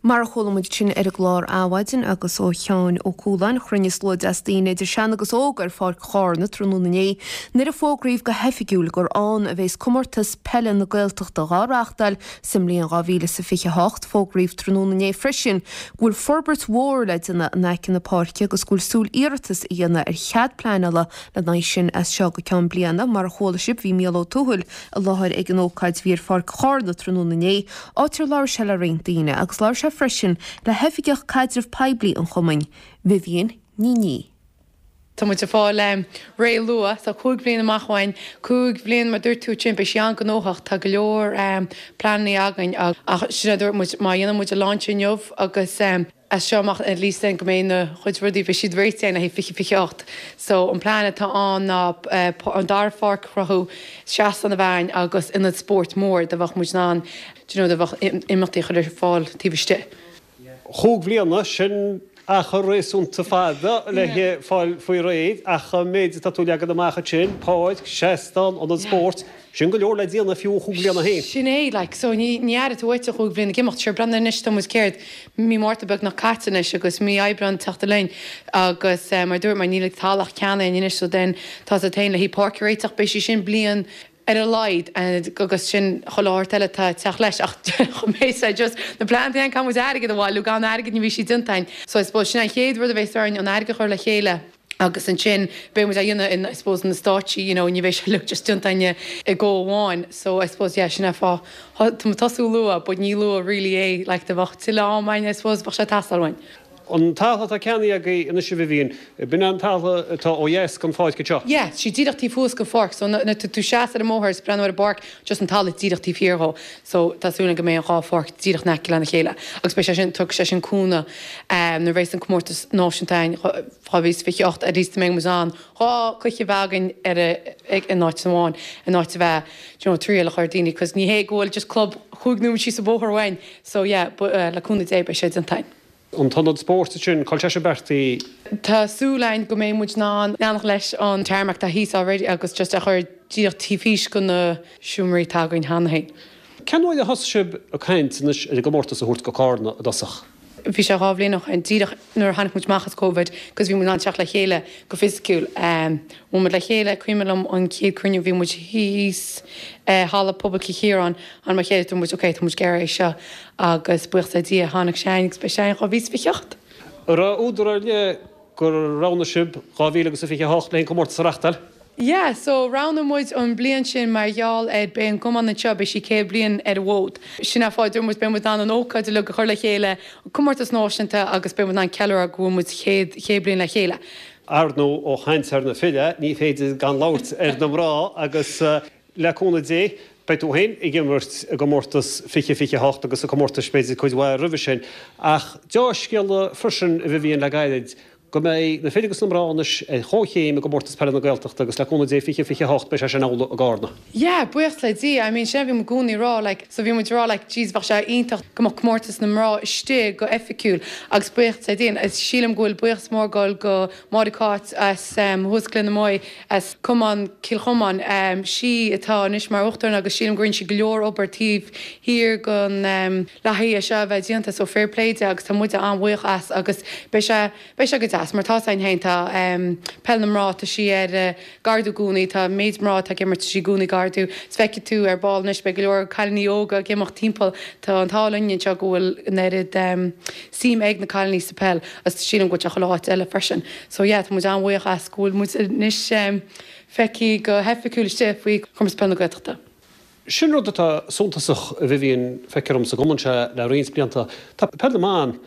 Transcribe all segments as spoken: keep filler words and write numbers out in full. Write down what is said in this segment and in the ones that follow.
Mar a chuala muid sin ar an gclár Adhmhaidin agus ó Sheán Ó Cualáin chruinnigh slua deas daoine idir sean agus óg ar Pháirc Chárna tráthnóna inné nuair a fógraíodh go hoifigiúil gur ann a bheas comórtas peile na Gaeltachta á reáchtáil sa mbliain dhá mhíle is a fiche hocht fógraíodh tráthnóna inné freisin go bhfuil forbairt mhór le déanamh in aice na páirce agus go bhfuil súil iarratas a dhéanamh ar chead pleanála lena aghaidh sin as seo go ceann bliana mar a chuala sibh bhí Mícheál Ó Tuathail i láthair ag an ócáid bhí ar Pháirc Chárna tráthnóna inné áit ar labhair sé le roinnt daoine agus labhair sé freisin le hoifigeach caidreamh poiblí an chumainn, Vivian Ní. Tá muid ag fáil um, réidh luath, so cúig bliana amach uainn, cúig bliana mar dúirt tú sin beidh sé an-ghnóthach tá go leor um, pleananna againn ach sin a dúirt muid má dhéanann muid a launch inniu agus um, as seo amach at least go mbeidh na chuid rudaí bheidh siad réitithe le fiche fiche ocht. So an plean atá ann ná uh, an dara pháirc a chruthú seastán a bheith agus ionad spóirt mór do bheadh muid in ann you know, do bheadh imeachtaí chur ar fáil taobh istigh. Cúig bliana sin achar réasúnta fada le fáil faoi réir ach méid tá tú leagan amach sin, páirc, seastán an spórt, sin go leor le déanamh fiú cúig bliana féin. Sin é like, so ní ní air tú chúig bliana ag imeacht sure breathnaigh anois tá muid céard mí Márta beagnach caite anois agus mí Aibreáin teacht linn agus um, mar dúirt mar níl talamh ceannaithe anois so den tá sa tain le hí páirc a réiteach beidh sé sin bliain ar a laghad agus sin choláir eile tá teach leis ach mé just na pleananna an caithfidh muid airgead a bhailiú gan airgead ní bheidh sí déanta. So I suppose sin an chéad rud a bheidh orainn an airgead chur le chéile. agus ansin beidh muid á dhéanamh in I suppose na stáití you know, ní bheidh sé just déanta i go amháin so I suppose yeah, sin é fá tá tosú luath, but ní luath really é like de bheadh tuilleadh ama I suppose bheadh sé teastáil uainn. An talamh atá ceannaithe agaibh anois a Vivian, b'in an talamh atá ó dheas den pháirc seo. Yeah, sí díreach taobh thuas den pháirc, so na tú seas ar an mbóthar is breathnú ar an bpáirc just an talamh díreach taobh thiar dhó. So tá súil go mbeidh an dhá pháirc díreach in aice lena chéile. Agus beidh sé sin tug sé sin cúnamh um, nuair bheidh an comórtas náisiúnta dhá mhíle fiche ocht at least mbeidh muid in ann dhá chluiche bheith againn ar ag in áit amháin in áit a bheith you know, triail a chur daoine, cos ní hé go bhfuil just club chúig nóiméad síos an bóthar uainn. So yeah, but, uh, le cúnamh Dé beidh sé déanta. An t-ionad spóirt sin cá bhfuil sé beartaithe Tá súil againn go mbeidh muid in ann leanacht leis an tarmac tá thíos already agus just a chur díreach taobh thíos de na seomraí atá againn cheana féin. Cén uair a thosaigh sibh ag caint anois ar an gcomórtas a thabhairt go Cárna i dtosach. Bhí sé dhá bhliain ó shin díreach nuair a tháinig muid amach as Covid, cos bhí muid in teacht le chéile go fisiciúil. Um, Bhí muid le chéile cuimhin liom an chéad chruinniú bhí muid thíos uh, halla pobail Chiaráin an mar chéile muid ok tá muid géar é seo agus buíochas le Dia tháinig sé agus beidh sé dhá mhíle fiche ocht. Ra údar le gur roghnaigh sibh dhá mhíle agus a fiche hocht le comórtas a reáchtáil? Yeah, so roghnaigh muid an bliain sin mar gheall ar beidh an cumann seo beidh sí céad bliain ar an bhfód. Sin é fáth muid beidh muid an ócáid le go chur le chéile comórtas náisiúnta agus beidh muid an ceiliúradh go bhfuil muid céad céad bliain le chéile. Ar ndóigh ó chaint ar na fir, ní féidir gan labhairt ar na mná agus uh, le cúnamh Dé, beidh tú féin ag imirt i gcomórtas fiche fiche hocht agus a comórtas b'fhéidir cuid mhaith roimhe sin. Ach dea-scéala freisin a Vivian le gairid go mbeidh na fir agus na mná anois ar chomhchéim i gcomórtas peile na Gaeltachta agus le cúnamh Dé fiche fiche hocht beidh sé sin amhlaidh i gCárna. Yeah, buíochas le Dia, I mean sin bhí i gcónaí rá like, so bhí muid rá like, jeez bheadh sé iontach go mbeadh comórtas na mná istigh go oifigiúil agus buíochas le Dia is sílim go bhfuil buíochas mór ag dul go Máire Cáit as um, Huasclin na Moy as Cumann Cill Chomáin um, sí atá anois mar uachtarán agus sílim go rinne sí go leor obair taobh thiar den um, le haghaidh seo a bheith déanta so fair play di agus tá muid an-bhuíoch as agus beidh sé beidh sé go deas mar tá ein héin tá um, peil na mná tá sí ar uh, ag ardú i gcónaí tá méid mná tá ag imirt sí i gcónaí ag ardú. Feicfidh tú ar ball anois beidh go leor cailíní óga ag imeacht timpeall tá an t-ádh linn seo go bhfuil an oiread um, suim ag na cailíní sa peil agus sílim go bhfuil áit eile freisin. So yeah, tá muid an-bhuíoch as go bhfuil muid anois um, feicthe go hoifigiúil istigh faoi Chomórtas Peile na Gaeltachta. Sin rud atá suntasach a Vivian feictear dom sa gcumann seo le roinnt blianta. Tá peil na mban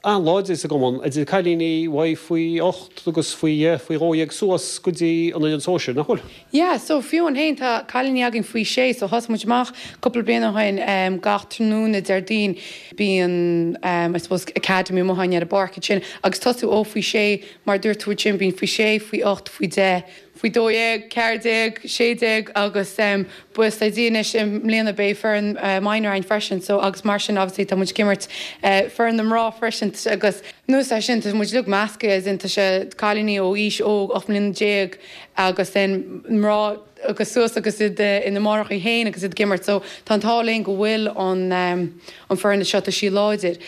an-láidir sa gcumann idir cailíní faoi faoi ocht agus faoi faoi dhó dhéag suas go dtí an an sóisir nach bhfuil. Yeah, so fiú an haon tá cailíní againn faoi sé, so thosaigh muid amach cúpla bliain ó shin um, gach tráthnóna Déardaoin bíonn um, I suppose academy amuigh ar an bpáirc sin agus tosú ó faoi sé mar dúirt tú sin bíonn faoi sé, faoi ocht, faoi deich, faoi dó dhéag, ceathair déag, sé déag agus um, buíochas le Dia anois i mbliana beidh foireann uh, minor ann freisin, so agus mar sin obviously tá muid ag imirt uh, foireann na mná freisin agus nus é sin tá muid uilig measctha as in tá sé cailíní ó aois óg ocht mbliana déag agus then mná agus suas agus iad ina máithreacha féin agus iad ag imirt, so tá an t-ádh linn go bhfuil an um, an foireann seo tá sí láidir.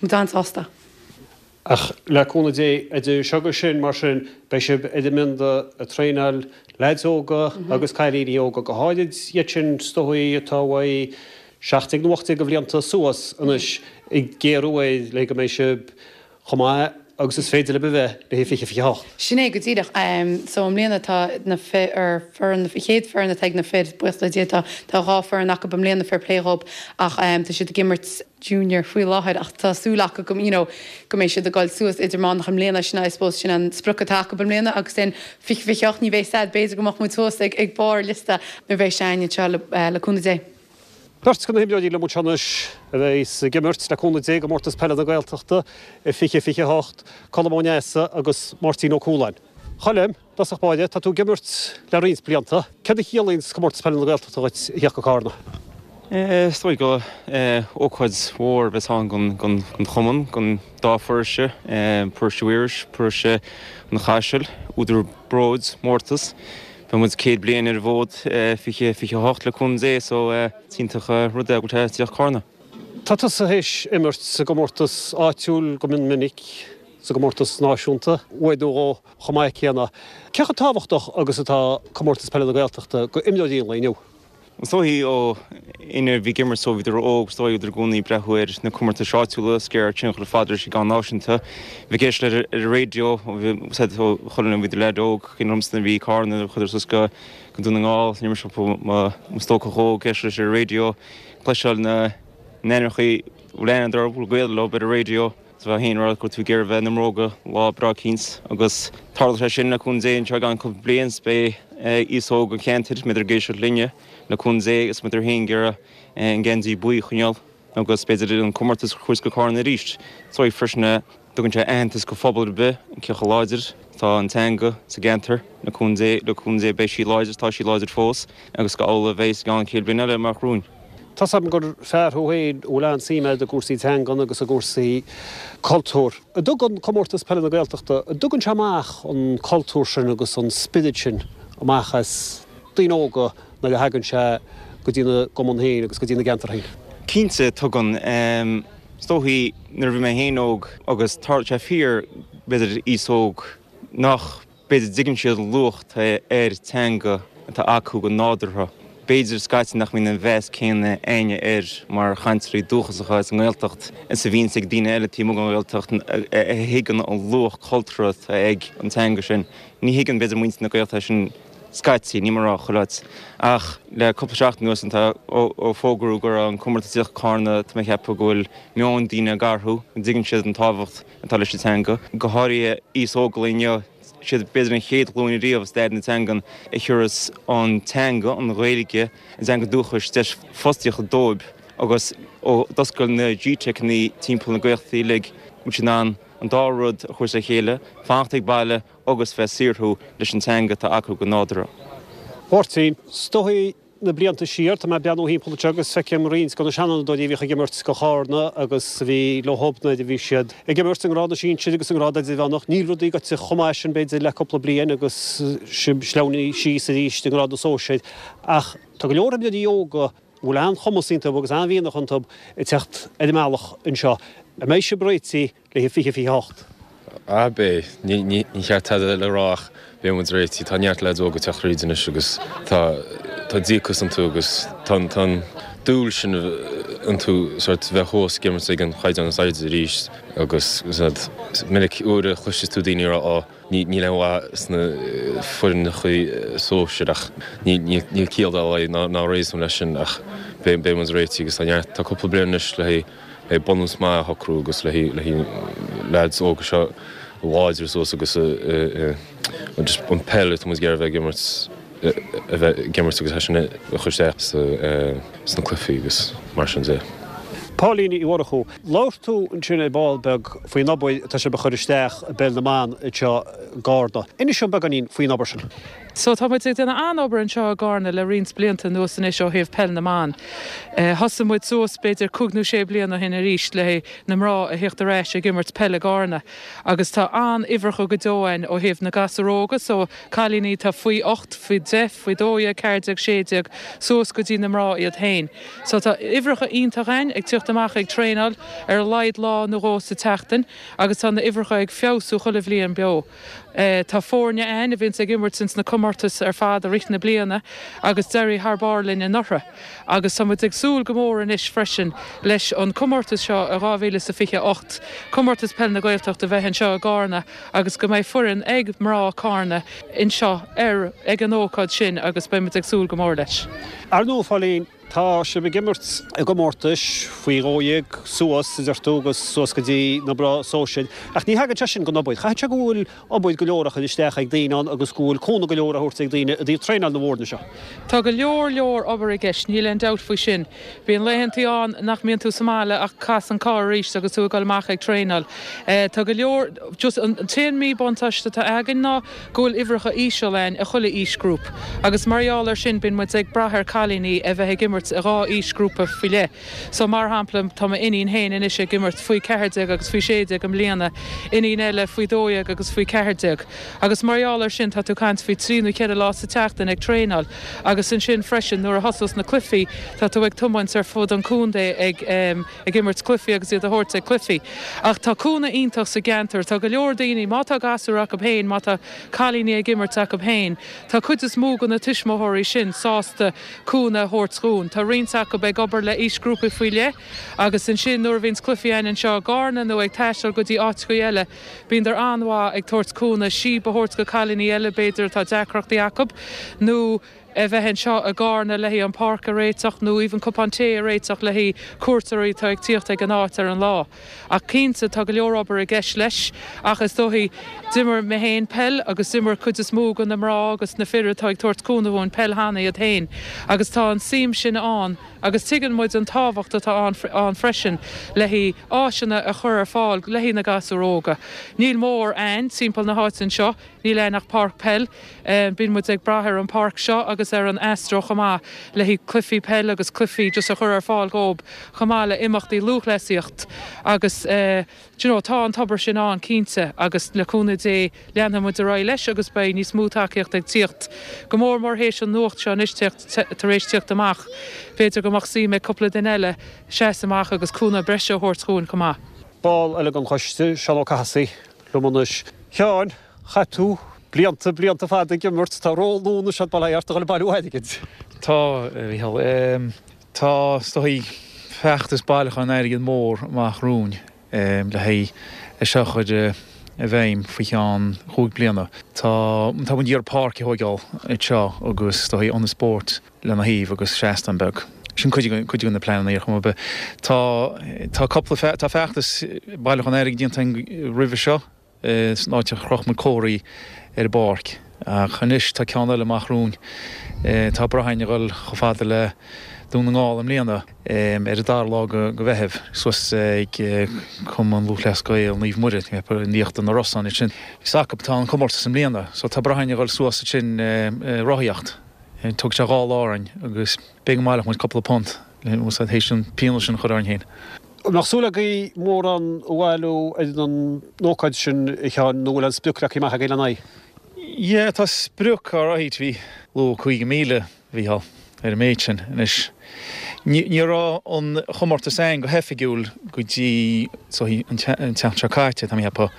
tá muid an-sásta. Ach le cúnamh Dé, idir seo agus sin, mar sin, beidh sibh ar an mbionda ag traenáil leaids óga agus cailíní óga, go háirid iad sin is dóigh atá uaidh seacht déag nó ocht déag de bhlianta suas anois ag géarú air le go mbeidh sibh chomh maith agus is féidir libh a bheith le haghaidh fiche fiche hocht. Sin é go díreach. So i mbliana tá na fir, ar foireann, chéad foireann atá ag na fir, buíochas le Dia tá tá dhá foireann acu i mbliana, fair play dhób, ach tá siad ag imirt junior faoi láthair ach tá súil acu go, you know, go mbeidh siad ag dul suas idirmheánach i mbliana, sin I suppose sin an sprioc atá acu i mbliana agus then fiche fiche hocht ní bheidh sad, b'fhéidir go mbeadh muid thuas ag ag barr liosta nuair a bheidh sé againn anseo le le cúnamh Dé. Beirt de na himreoirí liom anseo anois a bheidh ag imirt le cúnamh Dé i gComórtas Peile na Gaeltachta i fiche fiche hocht, Colm Ó Neasa agus Máirtín Ó Cualáin. Choilm, i dtosach báire, tá tú ag imirt le roinnt blianta. Céard a chiallaíonn Comórtas Peile na Gaeltachta dhuit a theacht go Carna? Is dóigh go ócáid mhór a bheas ann don chumann, don dá pharóiste, Paróiste Mhaorais, Paróiste an Chaisil, údar bróid, mórtas. Beidh muid céad bliain ar an bhfód fiche fiche a hocht le cúnamh Dé so is iontach an rud é go bhfuil sé ag tíocht Carna. Tá tusa théis imirt sa gcomórtas áitiúil go mion minic, sa gcomórtas náisiúnta uair nó dhó chomh maith céanna. Cé chomh tábhachtach agus atá Comórtas Peile na Gaeltachta go imreoirí an lae inniu? Is dóigh ó éinne a bhí ag imirt ó bhíodar óg, is dóigh bhíodar i gcónaí ag breathnú ar na comórtais áitiúla is ag iarraidh tionchar fada leis an gceann náisiúnta. Bhí ag éisteacht ar ar an raidió ó bhí said ó chuile bhíodar leaid óg, cuimhin liomsa nuair a bhí Carna chuadar suas go go Dún na nGall, ní raibh mise mo mo stócach óg ag éisteacht leis ar an raidió, cloisteáil na n-ainmneacha bhfuil aithne orthu, bhfuil gaol leo ar an raidió. Is bheith féin rá go raibh tú ag iarraidh bheith ina mbróga lá breá eicínt agus tarlóidh sé sin le cúnamh Dé anseo i gceann cúpla bliain is beidh aos óg an cheantair, mbeidh ag éisteacht linne le cúnamh Dé agus muid féin ag iarraidh an geansaí buí a choinneáil agus b'fhéidir an comórtas a thabhairt go Carna arís. Is dóigh freisin a dtugann sé aitheantas go phobal ar bith cé chomh láidir atá an teanga sa gceantar le cúnamh Dé, le cúnamh Dé beidh sí láidir, tá sí láidir fós agus go amhlaidh a bheidh i gceann céad bliain eile amach romhainn. Tá's agam gur fear thú féin a bhfuil an-suim agat i gcúrsaí teangan agus i gcúrsaí cultúir. An dtugann Comórtas Peile na Gaeltachta, an dtugann sé amach an cultúr sin agus an spiorad sin amach as daoine óga nuair a thagann sé go dtí na gcumann féin agus go dtí na gceantar féin? Cinnte, tugann. Is dóichí nuair a bhí mé féin óg agus tá sé fíor, b'fhéidir aos óg nach b'fhéidir dtuigeann siad an luach atá ar teanga atá acu go nádúrtha. B'fhéidir scaití nach mbíonn an mheas céanna againne air mar chainteoirí dúchasacha as an nGaeltacht is a bhíonns ag daoine eile taobh amuigh den Ghaeltacht a thuigeann an luach cultúrtha atá ag an teanga sin. Ní thuigeann b'fhéidir muintir na Gaeltachta sin scaití, níl mé ag rá chuile áit. Ach le cúpla seachtain anuas tá ó fógraíodh go raibh an comórtas ag tíocht go Carna tá mé ag ceapadh go bhfuil meon daoine ag athrú, go dtuigeann siad an tábhacht atá leis an teanga, go háirithe aos óg an lae inniu. Siad b'fhéidir an chéad ghlúin ariamh i stair na teangan a thiúrfas an teanga, an Ghaeilge, a dteanga dúchais, deis fostaíochta dóibh agus ó d'oscail na G-Teiceanna timpeall na Gaeltachta uilig, go bhfuil siad in ann an dá rud a thabhairt le chéile, fanacht ag baile agus bheith ag saothrú leis an teanga atá acu go nádúrtha. Mháirtín, is dóigh na blianta siar, tá mé ag breathnú thimpeall anseo agus feicim roinnt de na seanfhondúirí a bhíodh ag imirt do Chárna agus a bhí leo nuair a bhí siad ag imirt i ngrád na sinsir agus i ngrád idirmheánach. Níl rudaí goite chomh maith sin b'fhéidir le cúpla bliain agus sibh sleamhnaithe síos arís i ngrád na sóisir ach tá go leor imreoirí óga a bhfuil an-chumas iontu agus an-mhianach iontu ag teacht ar an mbealach anseo. An mbeidh sibh réitithe le haghaidh fiche fiche a hocht? Ah, beidh. Ní, ní, ní cheart tada le rá ach beidh muid réitithe. Tá neart leaids óga ag teacht thríd anois agus tá, tá díocas iontu agus tá, tá an dúil sin iontu sort bheith thuas ag imirt ag an chaighdeán is airde arís agus is minic uair a chloiseas tú daoine ag rá á, ní, níl aon mhaith sna foirneacha sóisir ach ní, ní, níl ciall dá laghad ná, ná réasún leis sin ach beidh, beidh muid réitithe agus tá neart, tá cúpla bliain anois le haghaidh le bunús maith a shocrú agus le haghaidh leaids óga seo láidriú suas agus just an peil atá muid ag iarraidh a bheith ag imirt a bheith ag imirt agus é sin a chur isteach sna cluichí agus mar sin de. Pauline Uí Mhurchú, labhair tú ansin ar ball beag faoin obair atá sibh a chur isteach i bpeil na mban anseo i gCarna. Inis dom beagáinín faoin obair sin. So tá muid ag déanamh an-obair anseo i gCarna le roinnt blianta anuas anois ó thaobh peil na mban. Thosaigh muid suas b'fhéidir cúig nó sé bliana ó shin arís le na mná a theacht ar ais ag imirt peil i gCarna agus tá an-uimhreacha go deo againn ó thaobh na gasúir óga so cailíní atá faoi ocht, faoi deich, faoi dó dhéag, ceathair déag, sé déag suas go dtí na mná iad féin. So tá uimhreacha iontach againn ag teacht amach ag traenáil ar a laghad lá nó dhó sa tseachtain agus tá na uimhreacha ag feabhsú chuile bhliain beo. Tá foirne againn a bhíonns ag imirt ins na comórtais ar fad i rith na bliana agus d'éirigh thar barr linn anuraidh agus tá muid ag súil go mór anois freisin leis an comórtas seo i dhá mhíle is a fiche a hocht, Comórtas Peile na Gaeltachta a bheith anseo i gCarna agus go mbeidh foireann ag mná Carna anseo ar ag an ócáid sin agus beidh muid ag súil go mór leis. Ar ndóigh, a Phóilín, tá sibh ag imirt i gcomórtais faoi dhó dhéag suas, a deir tú, agus suas go dtí na mná sóisir. Ach ní thagann sé sin gan obair. Caithfidh sé go bhfuil obair go leor á chur isteach ag daoine ann agus go bhfuil cúnamh go leor á thabhairt ag daoine i dtaobh traenáil na bhfoirne seo. Tá go leor leor obair i gceist, níl aon dabht faoi sin. Bíonn laethantaí ann nach mbíonn tú sa mbaile ach cas an carr arís agus tú ag dul amach ag traenáil. Tá go leor, just an t-aon míbhuntáiste atá againn ná go bhfuil uimhreacha íseal againn i chuile aoisghrúp agus mar gheall air sin bíonn muid ag brath ar cailíní a bheith ag imirt i dhá aoisghrúpa faoi leith. So mar shampla tá m'iníon féin anois ag imirt faoi ceathair déag agus faoi sé déag i mbliana, iníon eile faoi dó dhéag agus faoi ceathair déag. Agus mar gheall air sin tá tú ag caint faoi trí nó ceithre lá sa tseachtain ag traenáil agus ansin freisin nuair a thosós na cluichí tá tú ag tiomáint ar fud an chontae ag ag imirt cluichí agus iad a thabhairt ag cluichí. Ach tá cúnamh iontach sa gceantar, tá go leor daoine, má tá gasúir acu féin, má tá cailíní ag imirt acu féin, tá cuid is mó de na tuismitheoirí sin sásta cúnamh a thabhairt dhúinn. Tá roinnt acu ag obair le aoisghrúpaí faoi leith agus ansin nuair a bhíonns cluichí againn anseo i gCarna nó ag taisteal go dtí áiteacha eile, bíondar an-mhaith ag tabhairt cúnamh, síob a thabhairt go cailíní eile b'fhéidir atá deacrachtaí acu nó a bheith anseo i gCarna le haghaidh an páirc a réiteach nó even cupán tae a réiteach le haghaidh cuairteoirí atá ag tíocht ag an áit ar an lá. Ach cinnte tá go leor obair i gceist leis ach is dóichí d'imir mé féin peil agus d'imir cuid is mó de na mná agus na fir atá ag tabhairt cúnamh dhúinn peil cheana iad féin agus tá an suim sin ann agus tuigeann muid an tábhacht atá ann freisin le haghaidh áiseanna a chur ar fáil le haghaidh na gasúr óga. Níl mórán ann timpeall na háite anseo. Níl ann ach páirc peil. Bíonn muid ag brath ar an páirc seo agus ar an Astro chomh maith le haghaidh cluichí peil agus cluichí just a chur ar fáil dhóib chomh maith le imeachtaí lúthchleasaíocht agus do you know tá an tobar sin ann cinnte agus le cúnamh Dé leanfaidh muid ar aghaidh leis agus beidh níos mó tacaíocht ag tíocht, go mór mór théis an nuacht seo anois tar éis tíocht amach. B'fhéidir go mbeadh suim ag cúpla duine eile seasamh amach agus cúnamh breise a thabhairt dhúinn chomh maith. Ball eile den choiste, Seán Ó Cathasaigh, liom anois. Sheáin, chaith tú blianta, blianta fada ag imirt, tá ról nua anois agat bail ó Dhia ort a dhul ag bailiú airgid. Tá, a Mhícheáil. Tá, is dóigh, feachtas bailiúcháin airgid mór amach romhainn le haghaidh é seo a chur i bhfeidhm faoi cheann chúig bliana. Tá, tá muid ag iarraidh páirc a thóigeáil anseo agus is dóigh ionad spóirt lena thaobh agus seastán beag. Sin cuid de, cuid de na pleananna ar chuma ar bith. Tá, tá cúpla, tá feachtas bailiúcháin airgid déanta againn roimhe seo san áit a chroch muid comharthaí ar an bpáirc. Ach anois tá ceann eile amach romhainn. Tá brath againn a dhul chomh fada le Dún na nGall i mbliana ar an dara lá de Mheitheamh, suas ag Cumann Lúthchleas Gael Naomh Muire, in Íochtar na Rosann ansin. Is acu atá an comórtas i mbliana, so tá brath againn a dhul suas ansin rothaíocht. Tógfaidh sé dhá lá orainn agus b'fhéidir go mbaileoidh muid cúpla punt théis an pionós sin a chur orainn féin. An mbeadh súil agaibh mórán a bhailiú ar an ócáid sin, a Sheáin, nó an bhfuil an sprioc leagtha amach agaibh lena aghaidh? Yeah, tá sprioc alright, bhí luadh cúig mhíle, a Mhícheáil, ar an méid sin anois. Ní raibh an chomórtas ann go hoifigiúil go dtí an tseachtain seo caite, tá mé ag ceapadh,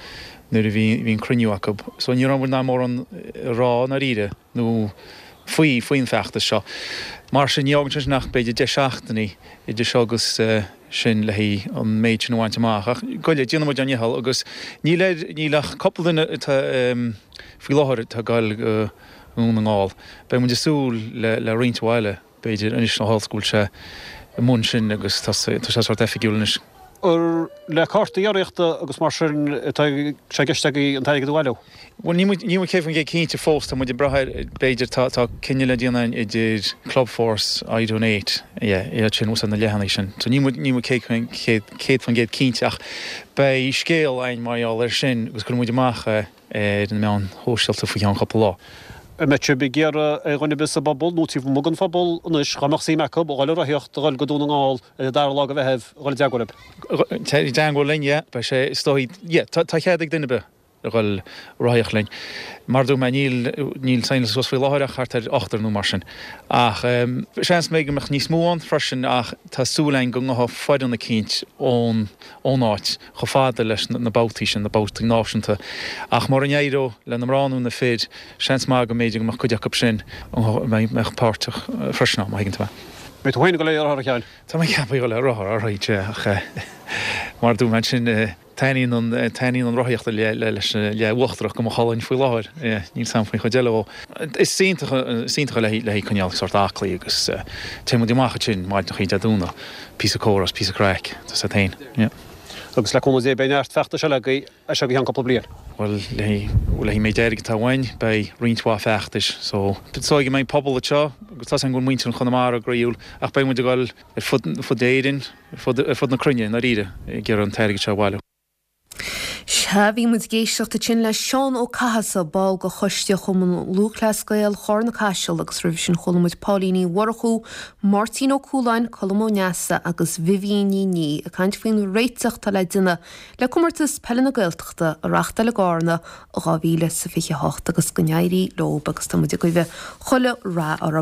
nuair a bhí an cruinniú acu. So ní raibh muid in ann mórán a rá i ndáiríre nó faoi, faoin bhfeachtas seo. Mar sin ní fhágann sé sin ach b'fhéidir deich seachtainí idir seo agus sin le haghaidh an méid sin a bhaint amach. Ach goile, déanfaidh muid ár ndícheall agus níl ar, níl ach cúpla duine atá faoi láthair atá ag goil go Dún na nGall. Beidh muid ag súil le, le roinnt mhaith eile b'fhéidir anois ó tharla go bhfuil sé i mbun sin agus tá sé sórt oifigiúil anois. Ar le cártaí urraíochta agus mar sin atá sé i gceist agaibh an t-airgead a bhailiú? Bhuel, níl muid, níl muid céad faoin gcéad cinnte fós, tá muid ag brath ar, b'fhéidir, tá, tá cinneadh le déanamh againn idir Clubforce, iDonate, yeah, iad sin, úsáid na leathanaigh sin. So níl muid, níl muid céad faoin chéad, céad faoin gcéad cinnte ach beidh scéal againn mar gheall air sin agus cuirfidh muid amach é ar na meáin shóisialta faoi cheann cúpla lá. An mbeidh sibh ag iarraidh ar dhuine ar bith sa bpobal nó taobh amuigh den phobal anois, dá mbeadh suim acu, a dhul ag rothaíocht, a dhul go Dún na nGall ar an dara lá de Mheitheamh, a dhul i dteagmháil libh? I dteagmháil linn, yeah. Beidh sé, is dóigh, yeah, tá cead ag duine ar bith a dhul ag rothaíocht linn. Mar a dúirt mé, níl, níl saighneáilte suas faoi láthair ach thart ar ochtar nó mar sin. Ach seans maith go mbeadh níos mó ann freisin ach tá súil againn go ngabhfaidh foireann eicínt ón, ón áit chomh fada leis na babhtaí sin, na babhtaí náisiúnta. Ach mura n-éireodh le na mná nó na fir, seans maith go mb'fhéidir go mbeadh cuid acu sin a mbeadh páirteach freisin ann, má thuigeann tú mé. Beidh tú féin ag dul ar rothar, a Sheáin? Tá mé ceaptha ag dul ar rothar, alright, yeah, ach mar a dúirt mé ansin, taitníonn an, taitníonn an rothaíocht leis an leath uachtarach de mo cholainn faoi láthair, yeah, níl 's a'm faoin chuid eile dhó. Is iontach, is iontach le haghaidh coinneáil sórt aclaí agus téann muid amach ansin maidneachaí Dé Domhnaigh, píosa comhrá is píosa craic, tá 's a't féin, yeah. Agus le cúnamh Dé beidh neart feachtais eile agaibh as seo go ceann cúpla bliain. Bhuel, le haghaidh méid airgid atá uainn, beidh roinnt mhaith feachtais. So, is dóigh go mbeidh pobal anseo, agus tá 's agam go bhfuil muintir an Chonamara groíúil, ach beidh muid ag dul ar fud, fud Éirinn, ar fud, ar fud na cruinne, i ndáiríre, ag iarraidh an t-airgead seo a bhailiú. Sea, bhí muid ag éisteacht ansin le Seán Ó Cathasaigh, ball de choiste Chumann Lúthchleas Gael Charna Caiseal agus roimhe sin chuala muid Pauline Ní Mhurchú, Máirtín Ó Cualáin, Colm Ó Neasa agus Vivian Ní Niadh ag caint faoin réiteach atá le déanamh le Comórtas Peile na Gaeltachta a reáchtáil i gCarna i dhá mhíle is a fiche a hocht agus go n-éirí leob agus tá muid ag guí chuile rath orthu.